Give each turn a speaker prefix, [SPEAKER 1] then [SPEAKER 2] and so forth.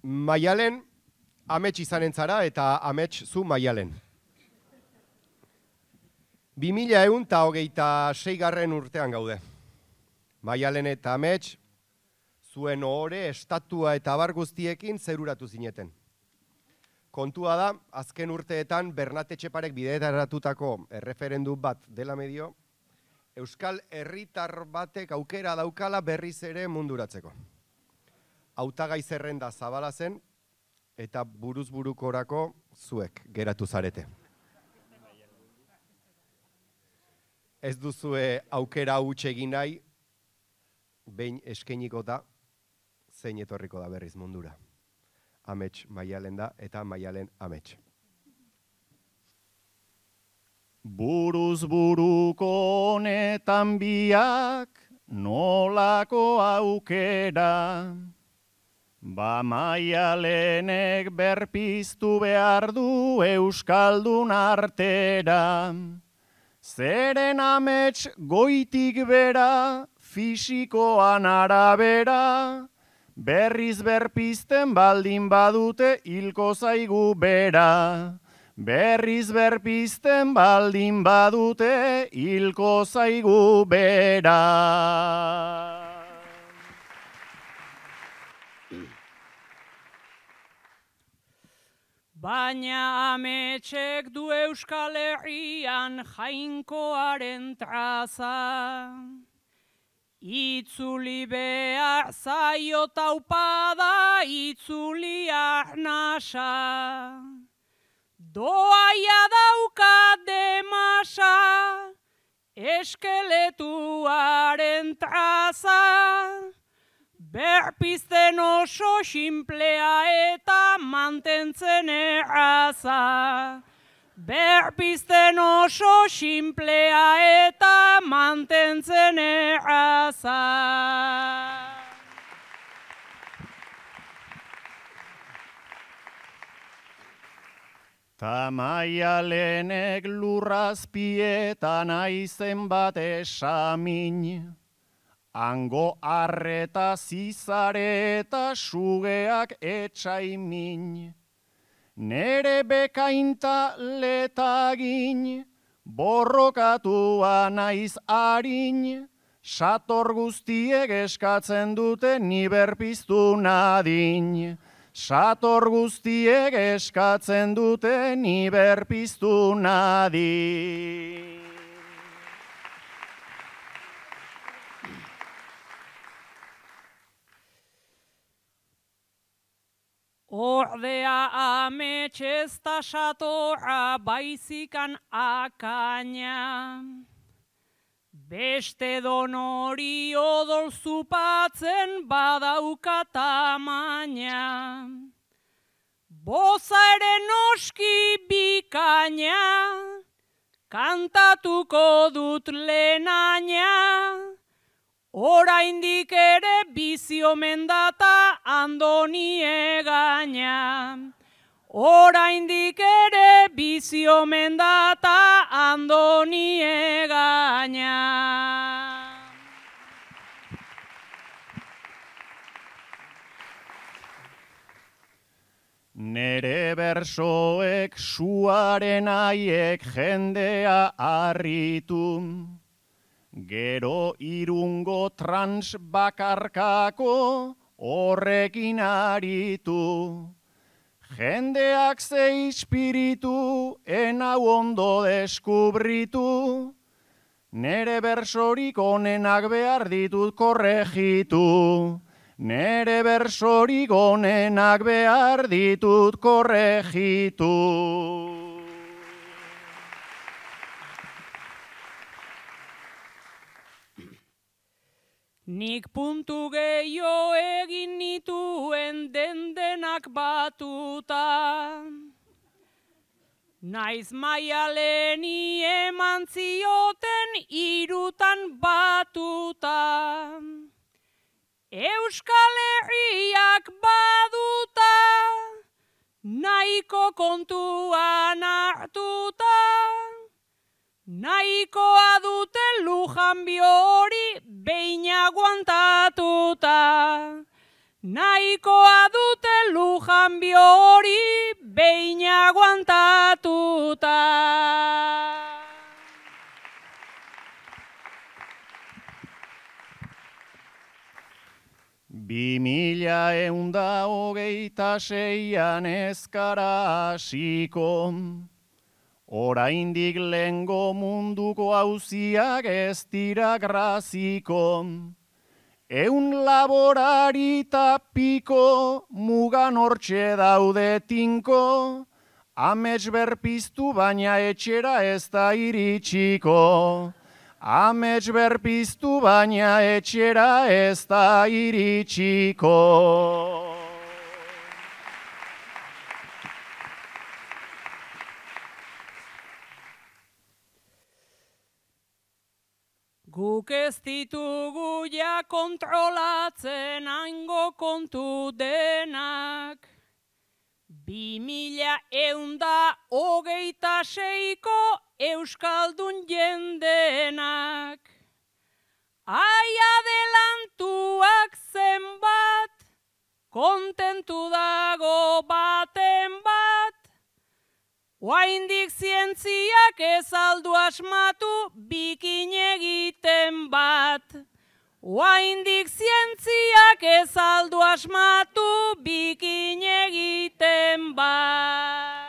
[SPEAKER 1] Maialen, amets izanen zara eta amets zu Maialen. 2126 urtean gaude. Maialen eta amets, zuen ohore, estatua eta abar guztiekin zeruratu zineten. Kontua da, azken urteetan Bernat Etxeparek bideraratutako erreferendum bat dela medio, Euskal herritar batek aukera daukala berriz ere munduratzeko. Hautagai zerrenda zabala zen eta buruz burukorako zuek geratu zarete. Ez duzue aukera huts egin nahi, behin eskainiko da, zein etorriko da berriz mundura. Amets Maialen da eta Maialen amets.
[SPEAKER 2] Buruz buruko honetan biak nolako aukera, ba Maialenek berpiztu behar du euskaldun artera. Zeren amets goitik bera, fisikoan arabera, berriz berpizten baldin badute hilko zaigu bera. Berriz berpizten baldin badute hilko zaigu bera.
[SPEAKER 3] Baina ametsek du Euskal Herrian jainkoaren traza. Itzuli behar zaio taupada, itzuli arnasa. Doaia dauka demasa, eskeletuaren traza. Berpizten oso simplea eta mantentzen erraza. Berpizten oso simplea eta mantentzen erraza.
[SPEAKER 2] Ta Maialenek lurrazpietan aizen bat esamin, hango arreta zizare eta sugeak etxaimin. Nere bekainta letagin, borrokatua naiz harin, sator guztiek eskatzen dute ni berpiztu nadin. Sator guztiek eskatzen dute ni berpiztu nadin.
[SPEAKER 3] Ordea amets ez da satorra baizikan akaina. Beste donori odol zupatzen badauka tamaina. Boza ere noski bikaina, kantatuko dut lehenaina. Oraindik ere bizi omen data andoni egaina. Oraindik ere bizi omen data andoni egaina.
[SPEAKER 2] Nere bersoek suaren aiek jendea harritu. Gero irungo trans bakarkako horrekin aritu. Jendeak ze ispiritu, enau ondo deskubritu. Nere bersorik onenak behar ditut korregitu. Nere bersorik onenak behar ditut korregitu.
[SPEAKER 3] Nik puntu gehiago egin nituen dendenak batuta. Naiz Maialeni eman zioten hirutan batuta. Euskal Herriak baduta, nahiko kontuan hartuta. Nahikoa dute lujanbio hori behin aguantatuta. Nahikoa dute lujanbio lujanbio hori behin aguantatuta.
[SPEAKER 2] 2126an ezkara hasiko, oraindik lehengo munduko auziak ez dira graziko. 100 laborari ta piko, mugan hortxe daude tinko, amets berpiztu baina etxera ez da iritsiko. Amets berpiztu baina etxera ez da iritsiko.
[SPEAKER 3] Guk ez ditugu ja kontrolatzen hango kontu denak. 2126ko euskaldun jendenak. Ai adelantuak zenbat, kontentu dago baten bat. Oraindik zientziak ez aldu asmatu bikin egiten bat. Oraindik zientziak ez aldu asmatu bikin egiten bat.